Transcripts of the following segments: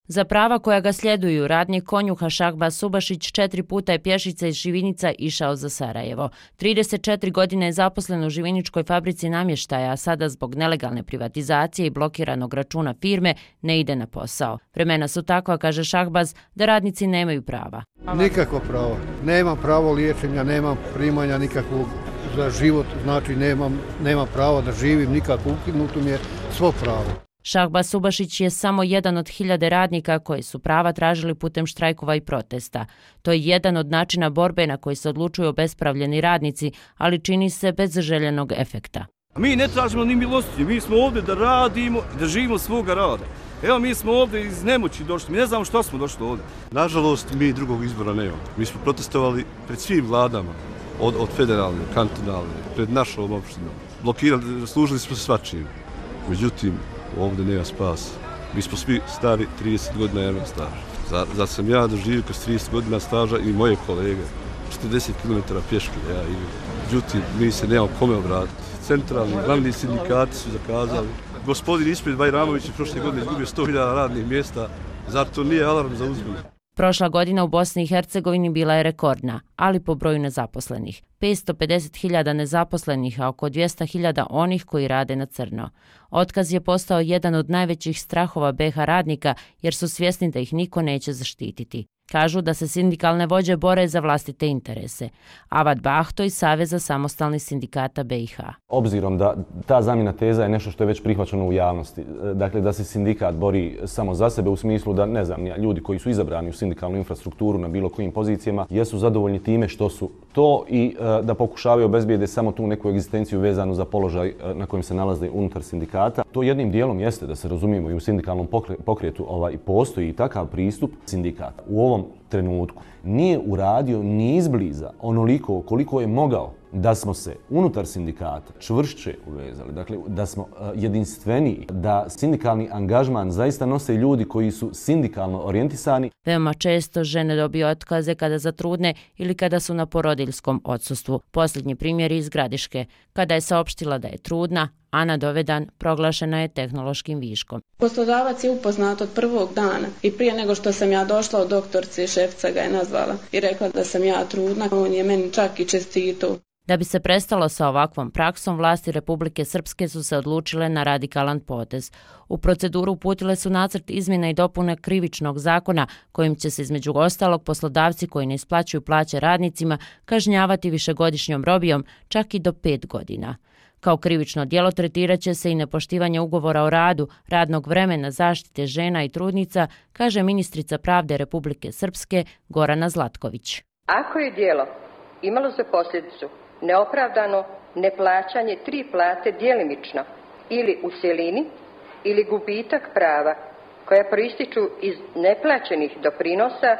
Za prava koja ga sljeduju, radnik konjuha Šahbaz Subašić 4 puta je pješice iz Živinica išao za Sarajevo. 34 godine je zaposlen u Živiničkoj fabrici namještaja, a sada zbog nelegalne privatizacije i blokiranog računa firme ne ide na posao. Vremena su takva, kaže Šahbaz, da radnici nemaju prava. Nikakvo pravo. Nemam pravo liječenja, nemam primanja nikakvog za život, znači nemam pravo da živim, nikako ukinuto mi je svo pravo. Šahbaz Subašić je samo jedan od 1000 radnika koji su prava tražili putem štrajkova i protesta. To je jedan od načina borbe na koji se odlučuju obespravljeni radnici, ali čini se bez željenog efekta. Mi ne tražimo ni milosti, mi smo ovdje da radimo i da živimo svoga rada. Evo, mi smo ovdje iz nemoći došli, mi ne znamo što smo došli ovdje. Nažalost, mi drugog izbora nemamo. Mi smo protestovali pred svim vladama, od federalne, kantonalne, pred našom opštinom. Blokirali, služili smo se svačim. Međutim, ovdje nema spasa. Mi smo svi stari 30 godina jednog staža. Zato sam ja doživio kroz 30 godina staža i moje kolege. 40 km pješke ja idem. Međutim, mi se nemamo kome obratiti. Centralni, glavni sindikati su zakazali. Gospodin Ispred Bajramović je prošle godine izgubio 100.000 radnih mjesta. Zar to nije alarm za uzbunu? Prošla godina u Bosni i Hercegovini bila je rekordna, ali po broju nezaposlenih. 550.000 nezaposlenih, a oko 200.000 onih koji rade na crno. Otkaz je postao jedan od najvećih strahova BiH radnika jer su svjesni da ih niko neće zaštititi. Kažu da se sindikalne vođe bore za vlastite interese. Avad Bahto iz Saveza samostalnih sindikata BiH. Obzirom da ta zamjena teza je nešto što je već prihvaćeno u javnosti, dakle da se sindikat bori samo za sebe u smislu da, ne znam, ljudi koji su izabrani u sindikalnu infrastrukturu na bilo kojim pozicijama jesu zadovoljni time što su to i da pokušavaju obezbijede samo tu neku egzistenciju vezanu za položaj na kojem se nalaze unutar sindikata. To jednim dijelom jeste, da se razumijemo, i u sindikalnom pokretu postoji takav pristup sindikata. U ovom trenutku nije uradio ni izbliza onoliko koliko je mogao da smo se unutar sindikata čvršće uvezali, dakle da smo jedinstveniji, da sindikalni angažman zaista nose ljudi koji su sindikalno orijentisani. Veoma često žene dobiju otkaze kada zatrudne ili kada su na porodiljskom odsustvu. Posljednji primjer iz Gradiške. Kada je saopštila da je trudna, Ana Dovedan proglašena je tehnološkim viškom. Poslodavac je upoznat od prvog dana i prije nego što sam ja došla od doktorice, šefica ga je nazvala i rekla da sam ja trudna. On je meni čak i čestitao. Da bi se prestalo sa ovakvom praksom, vlasti Republike Srpske su se odlučile na radikalan potez. U proceduru uputile su nacrt izmjena i dopune krivičnog zakona kojim će se između ostalog poslodavci koji ne isplaćuju plaće radnicima kažnjavati višegodišnjom robijom čak i do 5 godina. Kao krivično djelo tretirat će se i nepoštivanje ugovora o radu, radnog vremena, zaštite žena i trudnica, kaže ministrica pravde Republike Srpske Gorana Zlatković. Ako je djelo imalo za posljedicu neopravdano neplaćanje 3 plate djelimično ili u cjelini ili gubitak prava koja proističu iz neplaćenih doprinosa,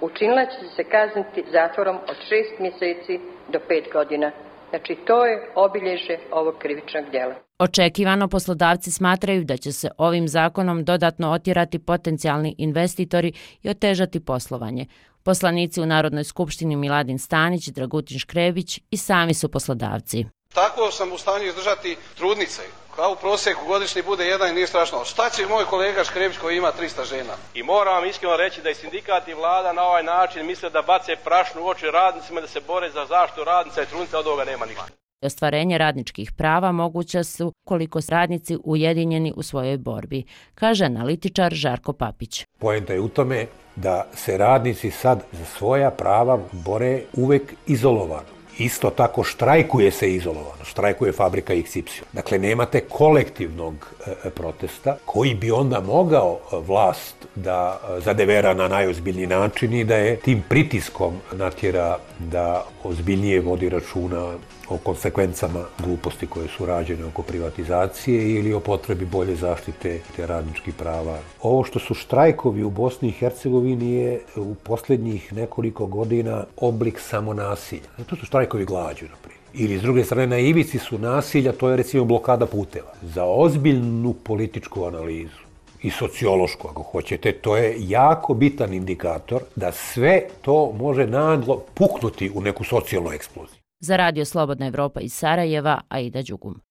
učinilac će se kazniti zatvorom od 6 mjeseci do 5 godina. Znači, to je obilježje ovog krivičnog djela. Očekivano poslodavci smatraju da će se ovim zakonom dodatno otjerati potencijalni investitori i otežati poslovanje. Poslanici u Narodnoj skupštini Miladin Stanić i Dragutin Škrebić i sami su poslodavci. Tako sam u stanju izdržati trudnice. Kao u prosjeku godišnji bude jedan i nije strašno. Šta će moj kolega Škrebić koji ima 300 žena? I moram vam iskreno reći da i sindikat i vlada na ovaj način misle da bace prašnu u oči radnicima, da se bore za zaštitu radnica i trudnica, od ovoga nema ništa. Ostvarenje radničkih prava moguća su koliko su radnici ujedinjeni u svojoj borbi, kaže analitičar Žarko Papić. Poenta je u tome da se radnici sad za svoja prava bore uvek izolovano. Isto tako štrajkuje se izolovano, štrajkuje fabrika XY. Dakle, nemate kolektivnog protesta koji bi onda mogao vlast da zadevera na najozbiljniji način i da je tim pritiskom natjera da ozbiljnije vodi računa o konsekvencama gluposti koje su rađene oko privatizacije ili o potrebi bolje zaštite radničkih prava. Ovo što su štrajkovi u Bosni i Hercegovini je u posljednjih nekoliko godina oblik samonasilja. To su štrajkovi glađu, na primjer. Ili s druge strane na ivici su nasilja, to je recimo blokada puteva. Za ozbiljnu političku analizu i sociološku, ako hoćete, to je jako bitan indikator da sve to može naglo puknuti u neku socijalnu eksploziju. Za Radio Slobodna Evropa iz Sarajeva, Aida Đugum.